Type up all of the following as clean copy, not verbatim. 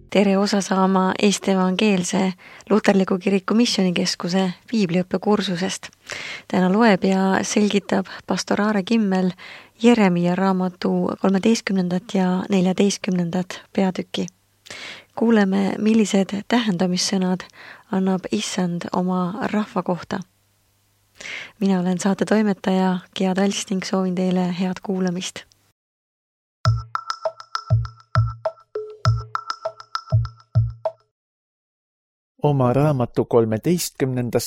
Tere osa saama Eesti Evangeelse Luterliku Kiriku Missioonikeskuse piibliõppekursusest. Täna loeb ja selgitab pastor Aare Kimmel Jeremia raamatu 13. ja 14. peatüki. Kuuleme, millised tähendamissõnad annab Issand oma rahva kohta. Mina olen saate toimetaja Gia Talst ning soovin teile head kuulamist. Oma raamatu 13.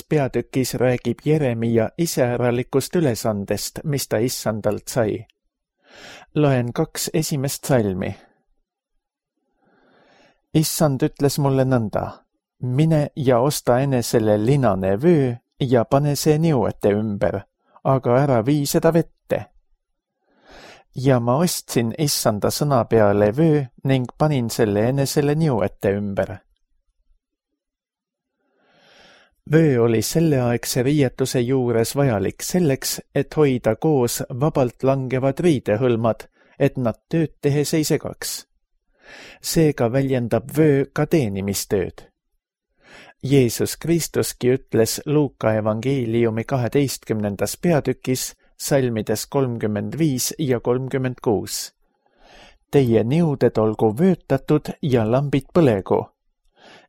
peatükis räägib Jeremia iseäralikust ülesandest, mis ta Issandalt sai. Loen 2 esimest salmi. Issand ütles mulle nõnda, mine ja osta enesele linane vöö ja pane see niuete ümber, aga ära vii seda vette. Ja ma ostsin Issanda sõna peale vöö ning panin selle enesele niuete ümber. Vöö oli selleaegse riietuse juures vajalik selleks, et hoida koos vabalt langevad riidehõlmad, et nad tööd tehes ei segaks. Seega väljendab vöö ka teenimistööd. Jeesus Kristuski ütles Luuka evangeeliumi 12. peatükis salmides 35 ja 36. Teie niuded olgu vöötatud ja lambid põlegu.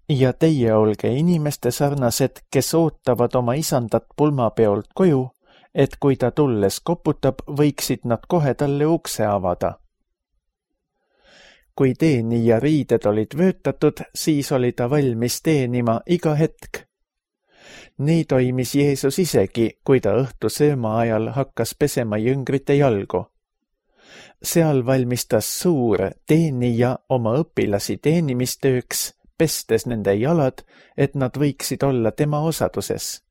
Ja teie olge inimeste sarnased, kes ootavad oma isandat pulmapeolt koju, et kui ta tulles koputab, võiksid nad kohe talle ukse avada. Kui teenija riided olid vöötatud, siis oli ta valmis teenima iga hetk. Nii toimis Jeesus isegi, kui ta õhtu sööma ajal hakkas pesema jüngrite jalgu. Seal valmistas suur teenija oma õpilasi teenimistööks, pestes nende jalad, et nad võiksid olla tema osaduses.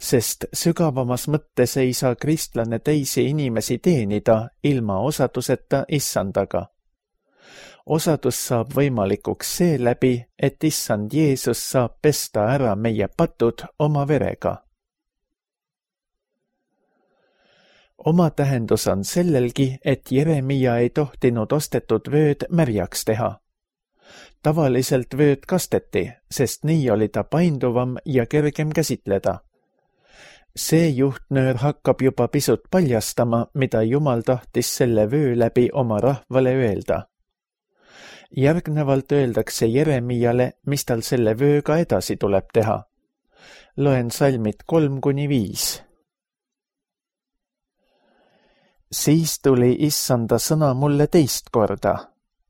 Sest sügavamas mõttes ei saa kristlane teisi inimesi teenida ilma osaduseta Issandaga. Osadus saab võimalikuks seeläbi, et Issand Jeesus saab pesta ära meie patud oma verega. Oma tähendus on sellelgi, et Jeremia ei tohtinud ostetud vööd märjaks teha. Tavaliselt vööd kasteti, sest nii oli ta painduvam ja kergem käsitleda. See juhtnöör hakkab juba pisut paljastama, mida Jumal tahtis selle vöö läbi oma rahvale öelda. Järgnevalt öeldakse Jeremiale, mis tal selle vööga edasi tuleb teha. Loen salmid 3-5. Siis tuli Issanda sõna mulle teist korda.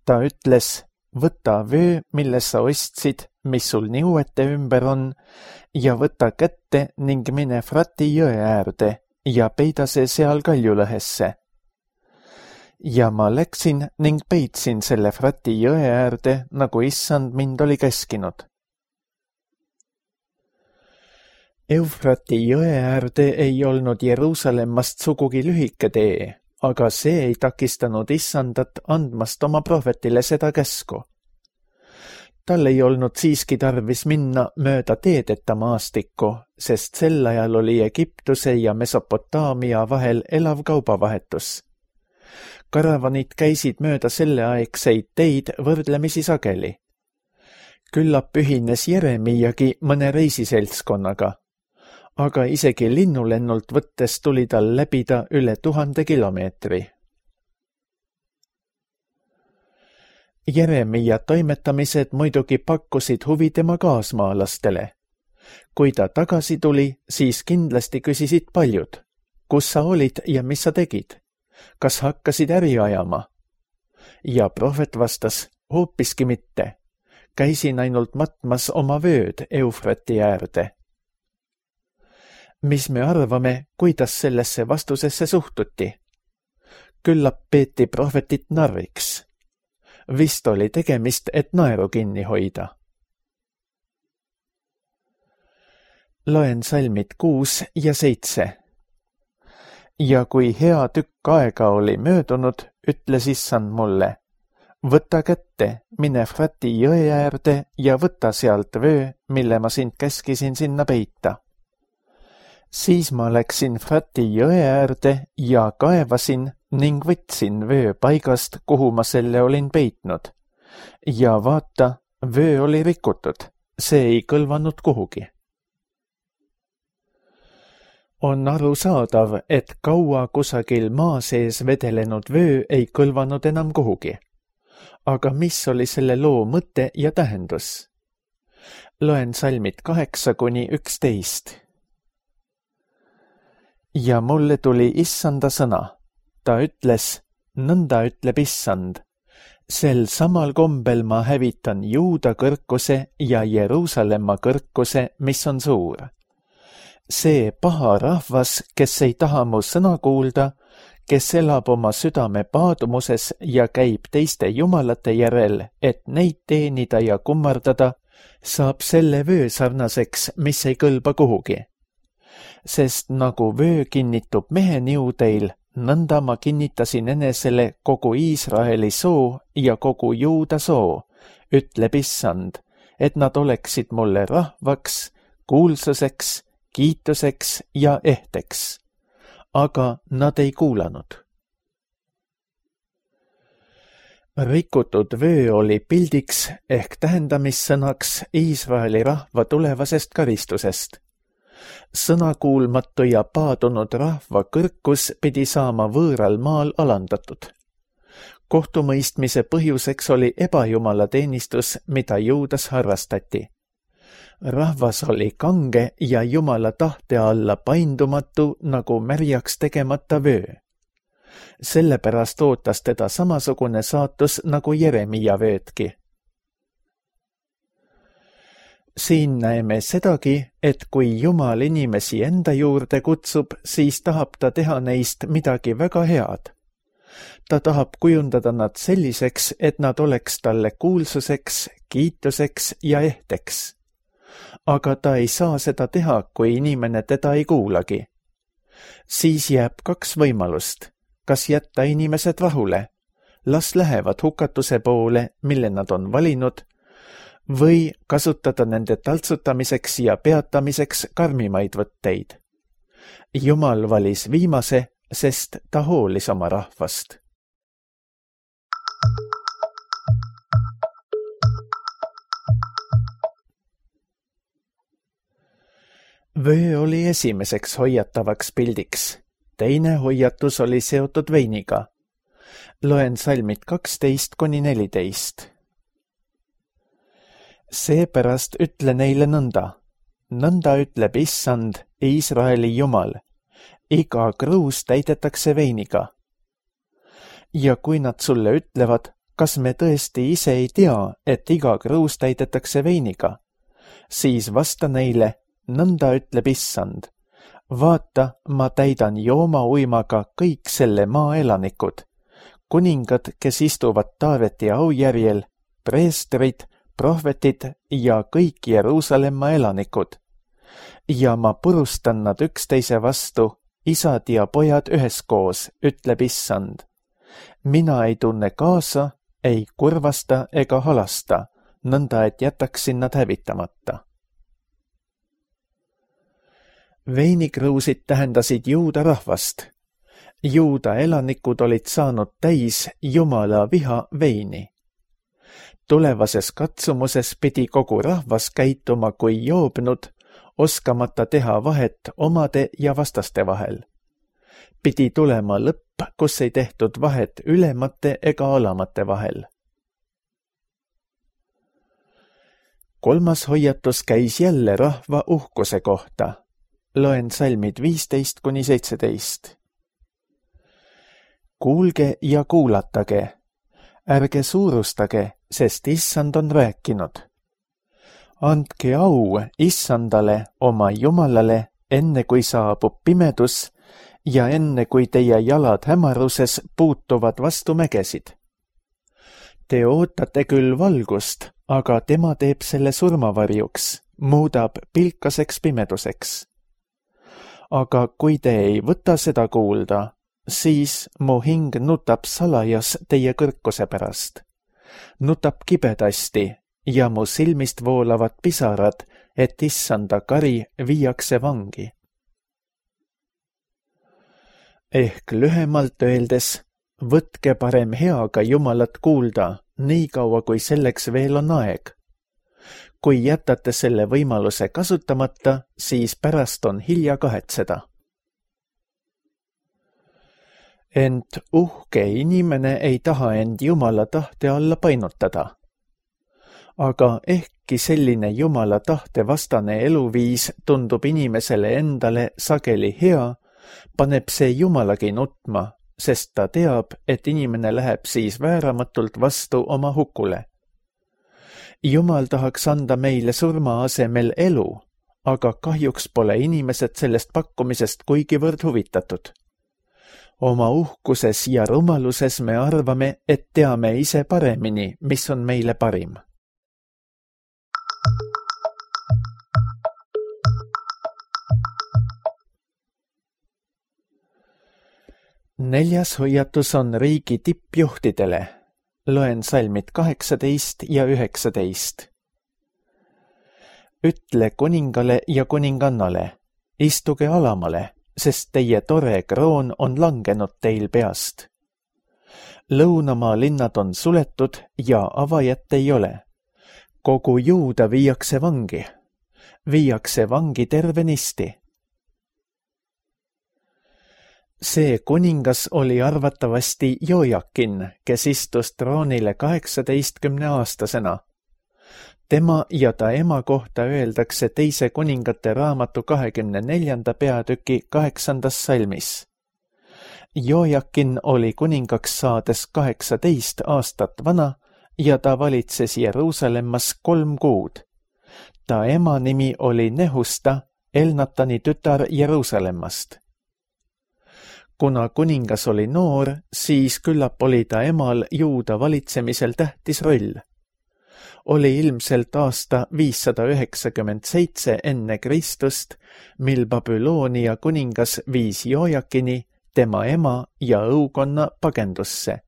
Ta ütles, võta vöö, mille sa ostsid, mis sul niuete ümber on, ja võta kätte ning mine Frati jõe äärde ja peida see seal kaljulõhesse. Ja ma läksin ning peitsin selle Frati jõe äärde, nagu Issand mind oli käskinud. Eufrati jõe äärde ei olnud Jeruusalemmast sugugi lühike tee, aga see ei takistanud Issandat andmast oma prohvetile seda käsku. Tal ei olnud siiski tarvis minna mööda teedeta maastikku, sest sel ajal oli Egiptuse ja Mesopotaamia vahel elav kaubavahetus. Karavanid käisid mööda selleaegseid teid võrdlemisi sageli. Küllap ühines Jeremiagi mõne reisiseltskonnaga, aga isegi linnulennult võttes tuli tal läbida üle 1000 kilomeetri. Jeremia toimetamised muidugi pakkusid huvi tema kaasmaalastele. Kui ta tagasi tuli, siis kindlasti küsisid paljud, kus sa olid ja mis sa tegid? Kas hakkasid äri ajama? Ja prohvet vastas, hoopiski mitte. Käisin ainult matmas oma vööd Eufrati äärde. Mis me arvame, kuidas sellesse vastusesse suhtuti? Küllap peeti prohvetit narriks. Vist oli tegemist, et naeru kinni hoida. Loen salmid 6 ja 7. Ja kui hea tükk aega oli möödunud, ütles Issand mulle, võta kätte, mine Frati jõe äärde ja võta sealt vöö, mille ma sind käskisin sinna peita. Siis ma läksin Frati jõe äärde ja kaevasin ning võtsin vöö paigast, kuhu ma selle olin peitnud, ja vaata, vöö oli rikutud, see ei kõlvanud kuhugi. On arusaadav, et kaua kusagil maa sees vedelenud vöö ei kõlvanud enam kuhugi. Aga mis oli selle loo mõte ja tähendus? Loen salmid 8-11. Ja mulle tuli Issanda sõna. Ta ütles, nõnda ütleb Issand. Sel samal kombel ma hävitan Juuda kõrkuse ja Jeruusalemma kõrkuse, mis on suur. See paha rahvas, kes ei taha mu sõna kuulda, kes elab oma südame paadumuses ja käib teiste jumalate järel, et neid teenida ja kummardada, saab selle vöö sarnaseks, mis ei kõlba kuhugi. Sest nagu vöö kinnitub mehe niudeil, nõnda ma kinnitasin enesele kogu Iisraeli soo ja kogu Juuda soo, ütleb Issand, et nad oleksid mulle rahvaks, kuulsuseks, kiituseks ja ehteks. Aga nad ei kuulanud. Rikutud vöö oli pildiks ehk tähendamissõnaks Iisraeli rahva tulevasest karistusest. Sõnakuulmatu ja paadunud rahva kõrkus pidi saama võõral maal alandatud. Kohtumõistmise põhjuseks oli ebajumalateenistus, mida Juudas harrastati. Rahvas oli kange ja Jumala tahte alla paindumatu nagu märjaks tegemata vöö. Sellepärast ootas teda samasugune saatus nagu Jeremia vöötki. Siin näeme sedagi, et kui Jumal inimesi enda juurde kutsub, siis tahab ta teha neist midagi väga head. Ta tahab kujundada nad selliseks, et nad oleks talle kuulsuseks, kiituseks ja ehteks. Aga ta ei saa seda teha, kui inimene teda ei kuulagi. Siis jääb kaks võimalust. Kas jätta inimesed rahule, las lähevad hukatuse poole, mille nad on valinud, või kasutada nende taltsutamiseks ja peatamiseks karmimaid võtteid. Jumal valis viimase, sest ta hoolis oma rahvast. Vöö oli esimeseks hoiatavaks pildiks. Teine hoiatus oli seotud veiniga. Loen salmid 12-14. Seepärast ütle neile nõnda. Nõnda ütleb Issand, Iisraeli Jumal. Iga kruus täidetakse veiniga. Ja kui nad sulle ütlevad, kas me tõesti ise ei tea, et iga kruus täidetakse veiniga, siis vasta neile, nõnda ütleb Issand. Vaata, ma täidan joomauimaga kõik selle maa elanikud, kuningad, kes istuvad Taaveti aujärjel, preestrid, prohvetid ja kõik Jeruusalemma elanikud. Ja ma purustan nad üksteise vastu, isad ja pojad üheskoos, ütleb Issand. Mina ei tunne kaasa, ei kurvasta ega halasta, nõnda et jätaksin nad hävitamata. Veinikruusid tähendasid Juuda rahvast. Juuda elanikud olid saanud täis Jumala viha veini. Tulevases katsumuses pidi kogu rahvas käituma kui joobnud, oskamata teha vahet omade ja vastaste vahel. Pidi tulema lõpp, kus ei tehtud vahet ülemate ega alamate vahel. Kolmas hoiatus käis jälle rahva uhkuse kohta. Loen salmid 15-17. Kuulge ja kuulatage. Ärge suurustage, sest Issand on rääkinud. Andke au Issandale, oma Jumalale, enne kui saabub pimedus ja enne kui teie jalad hämaruses puutuvad vastu mägesid. Te ootate küll valgust, aga tema teeb selle surmavarjuks, muudab pilkaseks pimeduseks. Aga kui te ei võta seda kuulda, siis mu hing nutab salajas teie kõrkuse pärast. Nutab kibedasti ja mu silmist voolavad pisarad, et Issanda kari viiakse vangi. Ehk lühemalt öeldes, võtke parem heaga Jumalat kuulda, nii kaua kui selleks veel on aeg. Kui jätate selle võimaluse kasutamata, siis pärast on hilja kahetseda. Ent uhke inimene ei taha end Jumala tahte alla painutada. Aga ehkki selline Jumala tahte vastane eluviis tundub inimesele endale sageli hea, paneb see Jumalagi nutma, sest ta teab, et inimene läheb siis vääramatult vastu oma hukule. Jumal tahaks anda meile surma asemel elu, aga kahjuks pole inimesed sellest pakkumisest kuigivõrd huvitatud. Oma uhkuses ja rumaluses me arvame, et teame ise paremini, mis on meile parim. Neljas hoiatus on riigi tippjuhtidele. Loen salmid 18 ja 19. Ütle kuningale ja kuningannale, istuge alamale, sest teie tore kroon on langenud teil peast. Lõunamaa linnad on suletud ja avajat ei ole. Kogu Juuda viiakse vangi tervenisti. See kuningas oli arvatavasti Jojakin, kes istus troonile 18-aastasena. Tema ja ta ema kohta öeldakse teise kuningate raamatu 24. peatüki 8. salmis. Jojakin oli kuningaks saades 18 aastat vana ja ta valitses Jeruusalemmas 3 kuud. Ta ema nimi oli Nehusta, Elnatani tütar Jeruusalemmast. Kuna kuningas oli noor, siis küllap oli ta emal Juuda valitsemisel tähtis roll. Oli ilmselt aasta 597 enne Kristust, mil Babyloonia kuningas viis Jojakini, tema ema ja õukonna pagendusse.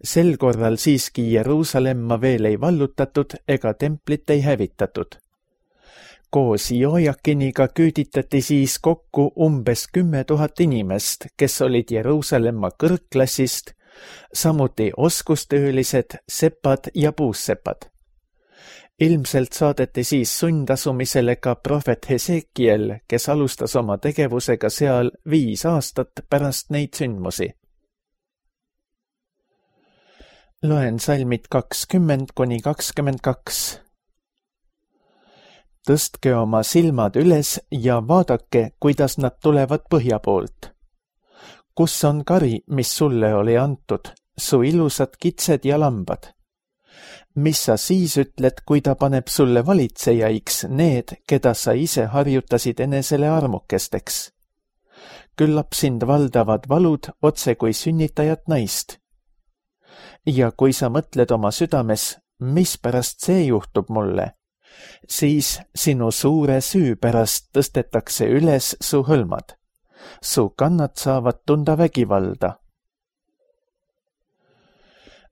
Sel korral siiski Jeruusalemma veel ei vallutatud ega templit ei hävitatud. Koos Jojakiniga küüditati siis kokku umbes 10 000 inimest, kes olid Jeruusalemma kõrgklassist, samuti oskustöölised, sepad ja puussepad. Ilmselt saadeti siis sundasumisele ka prohvet Hesekiel, kes alustas oma tegevusega seal 5 aastat pärast neid sündmusi. Loen salmid 20-22. Tõstke oma silmad üles ja vaadake, kuidas nad tulevad põhja poolt. Kus on kari, mis sulle oli antud, su ilusad kitsed ja lambad? Mis sa siis ütled, kui ta paneb sulle valitsejaiks need, keda sa ise harjutasid enesele armukesteks? Küllap sind valdavad valud otse kui sünnitajat naist. Ja kui sa mõtled oma südames, mispärast see juhtub mulle, siis sinu suure süü pärast tõstetakse üles su hõlmad. Su kannad saavad tunda vägivalda.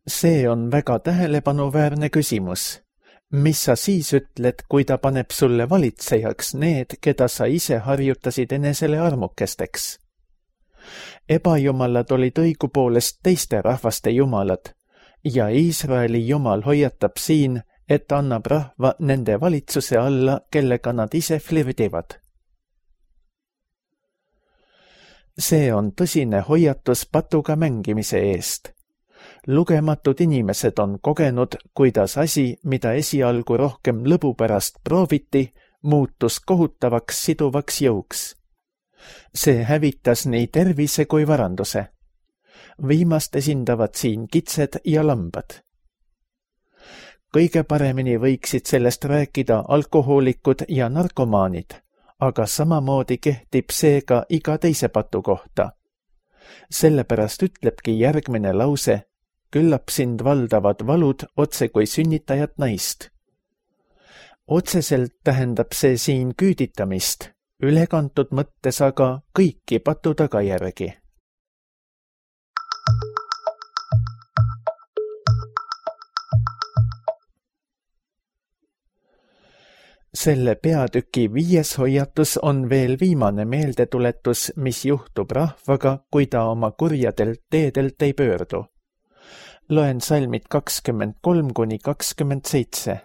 See on väga tähelepanuväärne küsimus. Mis sa siis ütled, kui ta paneb sulle valitsejaks need, keda sa ise harjutasid enesele armukesteks? Ebajumalad olid õigupoolest teiste rahvaste jumalad ja Iisraeli jumal hoiatab siin, et annab rahva nende valitsuse alla, kellega nad ise flirdivad. See on tõsine hoiatus patuga mängimise eest. Lugematud inimesed on kogenud, kuidas asi, mida esialgu rohkem lõbu pärast prooviti, muutus kohutavaks siduvaks jõuks. See hävitas nii tervise kui varanduse. Viimast esindavad siin kitsed ja lambad. Kõige paremini võiksid sellest rääkida alkohoolikud ja narkomaanid, aga samamoodi kehtib see ka iga teise patu kohta. Sellepärast ütlebki järgmine lause, küllap sind valdavad valud otse kui sünnitajat naist. Otseselt tähendab see siin küüditamist, ülekantud mõttes aga kõiki patu tagajärgi. Selle peatüki 5. hoiatus on veel viimane meeldetuletus, mis juhtub rahvaga, kui ta oma kurjadelt teedelt ei pöördu. Loen salmid 23–27.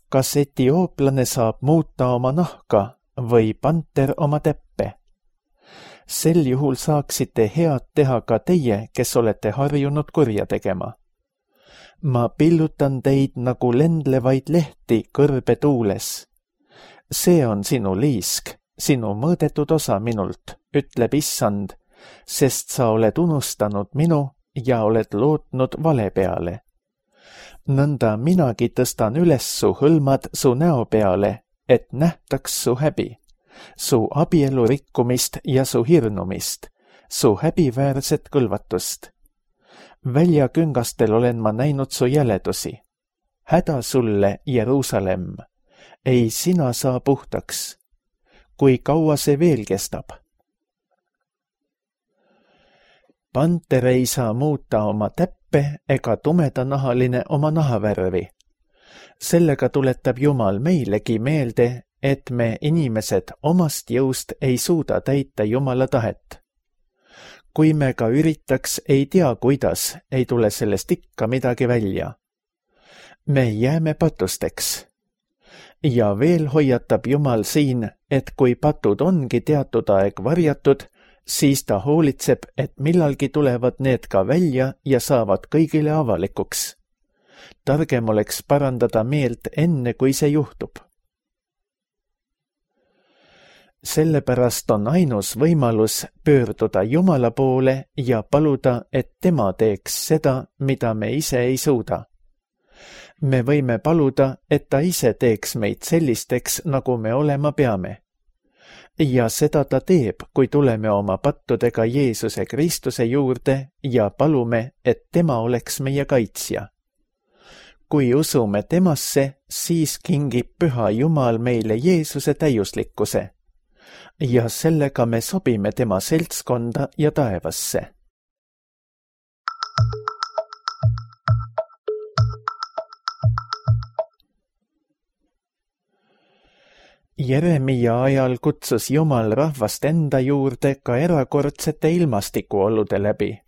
Kas etiooplane saab muuta oma nahka või panter oma täppe? Sel juhul saaksite head teha ka teie, kes olete harjunud kurja tegema. Ma pillutan teid nagu lendlevaid lehti kõrbe tuules. See on sinu liisk, sinu mõõdetud osa minult, ütleb Issand, sest sa oled unustanud minu ja oled lootnud vale peale. Nõnda minagi tõstan üles su hõlmad su näo peale, et nähtaks su häbi, su abielu rikkumist ja su hirnumist, su häbiväärset kõlvatust. Väljaküngastel olen ma näinud su jäledusi. Häda sulle, Jeruusalemm, ei sina saa puhtaks. Kui kaua see veel kestab? Panter ei saa muuta oma täppe ega tumedanahaline oma nahavärvi. Sellega tuletab Jumal meilegi meelde, et me inimesed omast jõust ei suuda täita Jumala tahet. Kui me ka üritaks, ei tea kuidas, ei tule sellest ikka midagi välja. Me jääme patusteks. Ja veel hoiatab Jumal siin, et kui patud ongi teatud aeg varjatud, siis ta hoolitseb, et millalgi tulevad need ka välja ja saavad kõigile avalikuks. Targem oleks parandada meelt enne, kui see juhtub. Sellepärast on ainus võimalus pöörduda Jumala poole ja paluda, et tema teeks seda, mida me ise ei suuda. Me võime paluda, et ta ise teeks meid sellisteks, nagu me olema peame. Ja seda ta teeb, kui tuleme oma pattudega Jeesuse Kristuse juurde ja palume, et tema oleks meie kaitsja. Kui usume temasse, siis kingib Püha Jumal meile Jeesuse täiuslikkuse. Ja sellega me sobime tema seltskonda ja taevasse. Jeremia ajal kutsus Jumal rahvast enda juurde ka erakordsete ilmastikuolude läbi.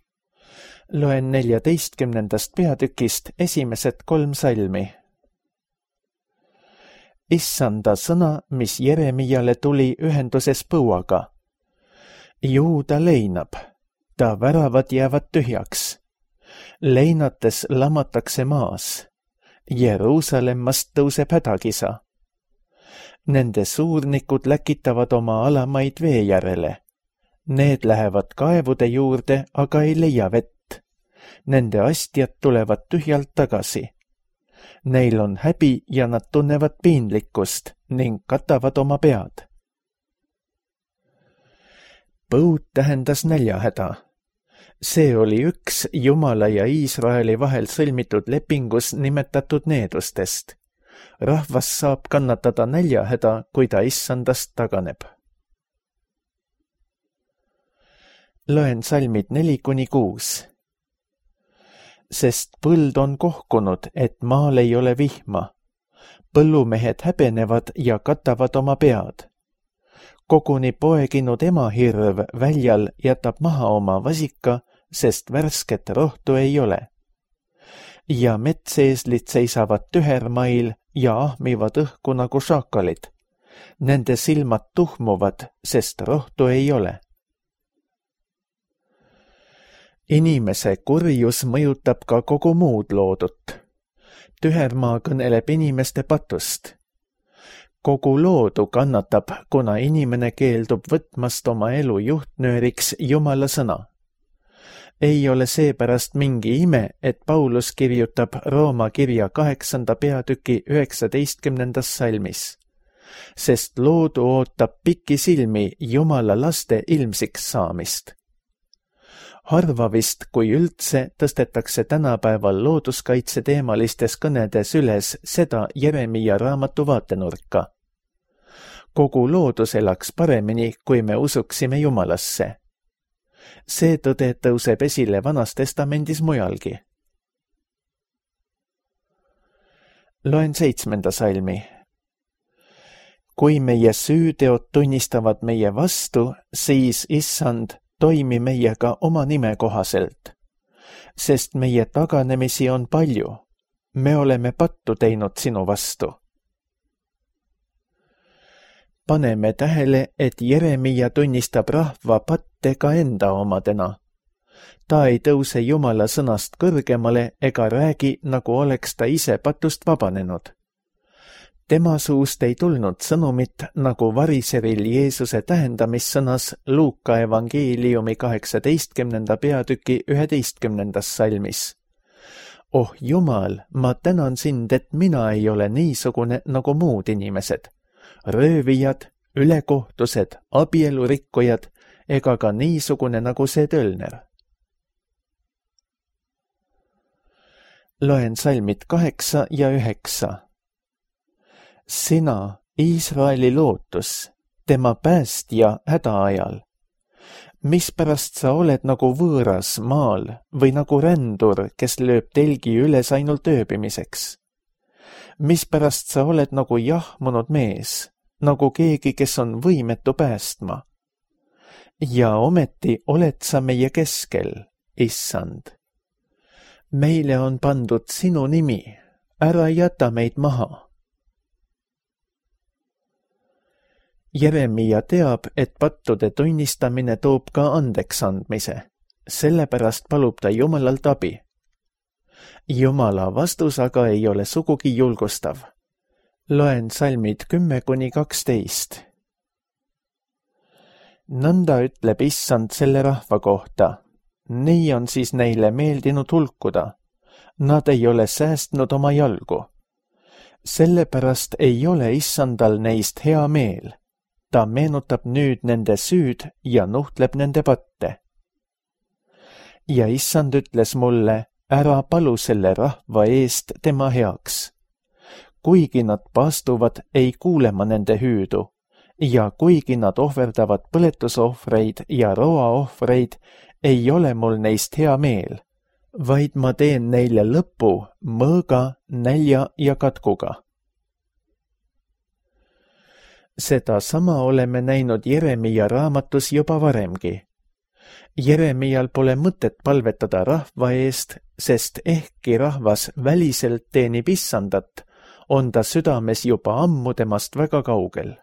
Loen 14. peatükist esimesed 3 salmi. Issanda sõna, mis Jeremiale tuli ühenduses põuaga. Juuda leinab, ta väravad jäävad tühjaks. Leinates lamatakse maas. Jeruusalemmast tõuseb hädakisa. Nende suurnikud läkitavad oma alamaid vee järele. Need lähevad kaevude juurde, aga ei leia vett. Nende astjad tulevad tühjalt tagasi. Neil on häbi ja nad tunnevad piinlikkust ning katavad oma pead. Põud tähendas näljahäda. See oli üks Jumala ja Iisraeli vahel sõlmitud lepingus nimetatud needustest. Rahvas saab kannatada näljahäda, kui ta Issandast taganeb. Loen salmid 4–6. Sest põld on kohkunud, et maal ei ole vihma. Põllumehed häbenevad ja katavad oma pead. Koguni poeginud emahirv väljal jätab maha oma vasika, sest värsket rohtu ei ole. Ja metseeslid seisavad tühermail ja ahmivad õhku nagu šakalid. Nende silmad tuhmuvad, sest rohtu ei ole. Inimese kurjus mõjutab ka kogu muud loodut. Tühermaa kõneleb inimeste patust. Kogu loodu kannatab, kuna inimene keeldub võtmast oma elu juhtnööriks Jumala sõna. Ei ole seepärast mingi ime, et Paulus kirjutab Rooma kirja 8. peatüki 19. salmis. Sest loodu ootab pikisilmi Jumala laste ilmsiks saamist. Harva vist, kui üldse, tõstetakse tänapäeval looduskaitse teemalistes kõnedes üles seda Jeremia raamatu vaatenurka. Kogu loodus elaks paremini, kui me usuksime Jumalasse. See tõde tõuseb esile Vanas Testamendis mujalgi. Loen 7. salmi. Kui meie süüteod tunnistavad meie vastu, siis Issand, toimi meiega oma nime kohaselt. sest meie taganemisi on palju. Me oleme pattu teinud sinu vastu. Paneme tähele, et Jeremia tunnistab rahva patte ka enda omadena. Ta ei tõuse Jumala sõnast kõrgemale ega räägi, nagu oleks ta ise patust vabanenud. Tema suust ei tulnud sõnumit, nagu variseril Jeesuse tähendamissõnas Luuka evangeeliumi 18. peatüki 11. salmis. Oh Jumal, ma tänan sind, et mina ei ole niisugune nagu muud inimesed. Röövijad, ülekohtused, abielurikkujad ega ka niisugune nagu see tölner. Loen salmid 8 ja 9. Sina, Iisraeli lootus, tema päästja hädaajal. Mispärast sa oled nagu võõras maal või nagu rändur, kes lööb telgi üles ainult ööbimiseks? Mispärast sa oled nagu jahmunud mees, nagu keegi, kes on võimetu päästma? Ja ometi oled sa meie keskel, Issand. Meile on pandud sinu nimi, ära jäta meid maha. Jeremia teab, et pattude tunnistamine toob ka andeks andmise, sellepärast palub ta Jumalalt abi. Jumala vastus aga ei ole sugugi julgustav. Loen salmid 10–12. Nõnda ütleb Issand selle rahva kohta. Nii on siis neile meeldinud hulkuda. Nad ei ole säästnud oma jalgu. Sellepärast ei ole Issandal neist hea meel. Ta meenutab nüüd nende süüd ja nuhtleb nende patte. Ja Issand ütles mulle, ära palu selle rahva eest tema heaks. Kuigi nad paastuvad, ei kuule ma nende hüüdu. Ja kuigi nad ohverdavad põletusohvreid ja roaohvreid, ei ole mul neist hea meel, vaid ma teen neile lõpu mõõga, nälja ja katkuga. Seda sama oleme näinud Jeremia raamatus juba varemgi. Jeremial pole mõtet palvetada rahva eest, sest ehkki rahvas väliselt teenib Issandat, on ta südames juba ammu temast väga kaugel.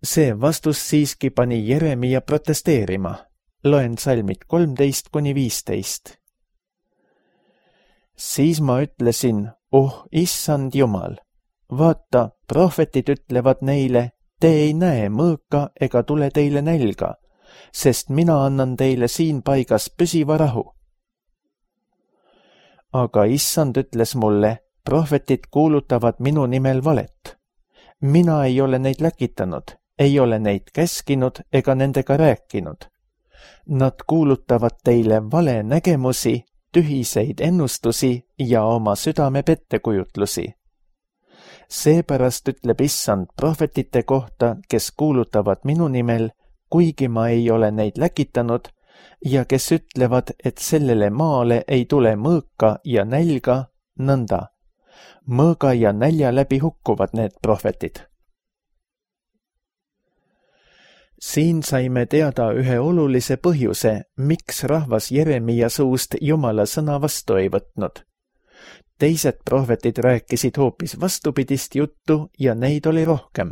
See vastus siiski pani Jeremia protesteerima. Loen salmid 13–15. Siis ma ütlesin, Issand Jumal, vaata, prohvetid ütlevad neile, te ei näe mõõka ega tule teile nälga, sest mina annan teile siin paigas püsiva rahu. Aga Issand ütles mulle, prohvetid kuulutavad minu nimel valet. Mina ei ole neid läkitanud, ei ole neid käskinud ega nendega rääkinud. Nad kuulutavad teile vale nägemusi, tühiseid ennustusi ja oma südame pettekujutlusi. Seepärast ütleb Issand prohvetite kohta, kes kuulutavad minu nimel, kuigi ma ei ole neid läkitanud, ja kes ütlevad, et sellele maale ei tule mõõka ja nälga, nõnda. Mõõga ja nälja läbi hukkuvad need prohvetid. Siin saime teada ühe olulise põhjuse, miks rahvas Jeremia suust Jumala sõna vastu ei võtnud. Teised prohvetid rääkisid hoopis vastupidist juttu ja neid oli rohkem.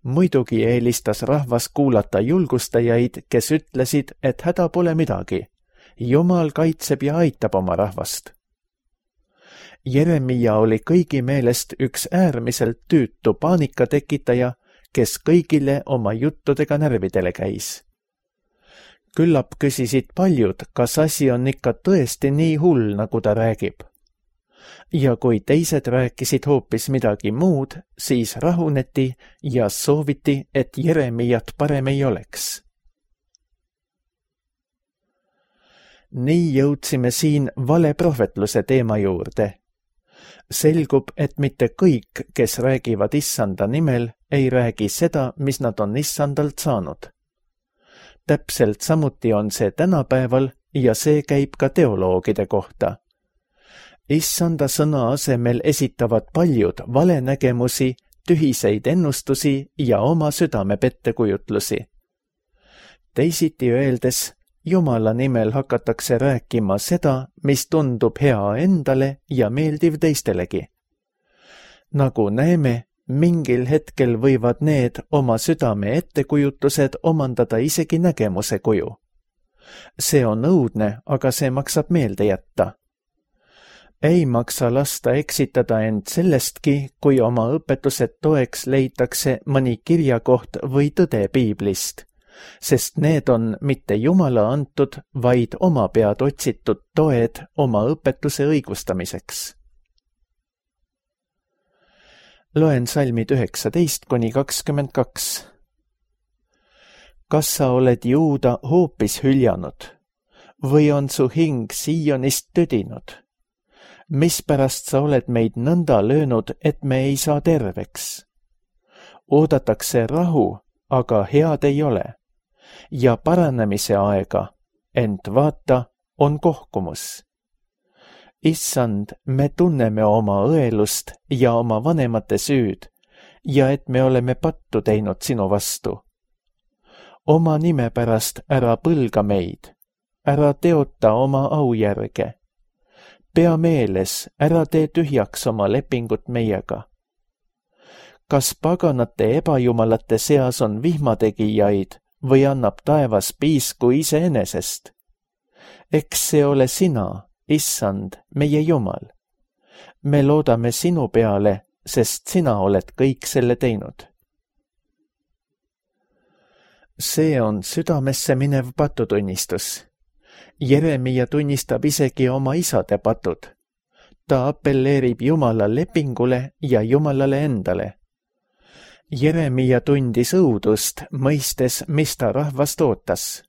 Muidugi eelistas rahvas kuulata julgustajaid, kes ütlesid, et häda pole midagi. Jumal kaitseb ja aitab oma rahvast. Jeremia oli kõigi meelest üks äärmiselt tüütu paanikatekitaja, kes kõigile oma juttudega närvidele käis. Küllap küsisid paljud, kas asi on ikka tõesti nii hull, nagu ta räägib. Ja kui teised rääkisid hoopis midagi muud, siis rahuneti ja sooviti, et Jeremiat parem ei oleks. Nii jõudsime siin valeprohvetluse teema juurde. Selgub, et mitte kõik, kes räägivad Issanda nimel, ei räägi seda, mis nad on Issandalt saanud. Täpselt samuti on see tänapäeval ja see käib ka teoloogide kohta. Issanda sõna asemel esitavad paljud valenägemusi, tühiseid ennustusi ja oma südame pettekujutlusi. Teisiti öeldes, Jumala nimel hakatakse rääkima seda, mis tundub hea endale ja meeldiv teistelegi. Nagu näeme, mingil hetkel võivad need oma südame ettekujutused omandada isegi nägemuse kuju. See on õudne, aga see maksab meelde jätta. Ei maksa lasta eksitada end sellestki, kui oma õpetused toeks leitakse mõni kirjakoht või tõde piiblist, sest need on mitte Jumala antud, vaid oma pead otsitud toed oma õpetuse õigustamiseks. Loen salmid 19–22. Kas sa oled Juuda hoopis hüljanud või on su hing Siionist tüdinud? Mispärast sa oled meid nõnda löönud, et me ei saa terveks? Oodatakse rahu, aga head ei ole, ja paranemise aega, ent vaata, on kohkumus. Issand, me tunneme oma õelust ja oma vanemate süüd ja et me oleme pattu teinud sinu vastu. Oma nime pärast ära põlga meid, ära teota oma au järge. Pea meeles, ära tee tühjaks oma lepingut meiega. Kas paganate ebajumalate seas on vihmategijaid või annab taevas piisku iseenesest? Eks see ole sina, Issand, meie Jumal. Me loodame sinu peale, sest sina oled kõik selle teinud. See on südamesse minev patutunnistus. Jeremia tunnistab isegi oma isade patud. Ta appelleerib Jumala lepingule ja Jumalale endale. Jeremia tundis õudust, mõistes, mis ta rahvast ootas.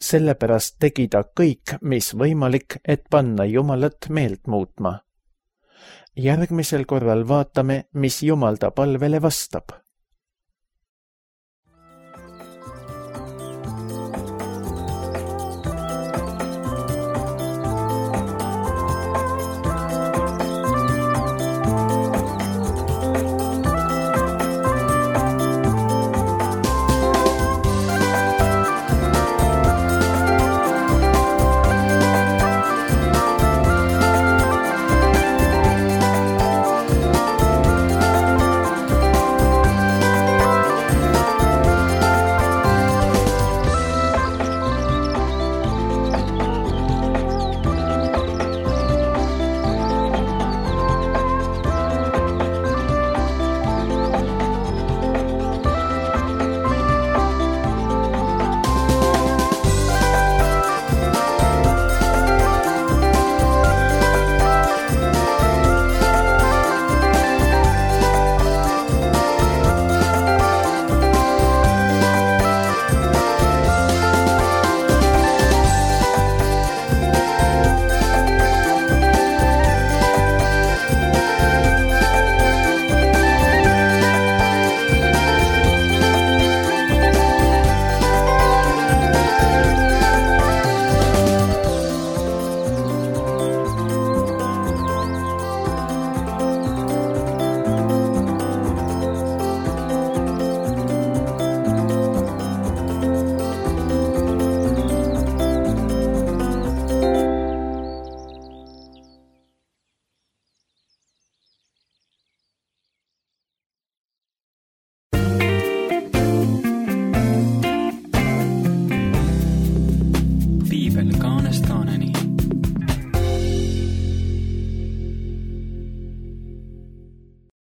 Sellepärast tegi ta kõik, mis võimalik, et panna Jumalat meelt muutma. Järgmisel korral vaatame, mis Jumal ta palvele vastab.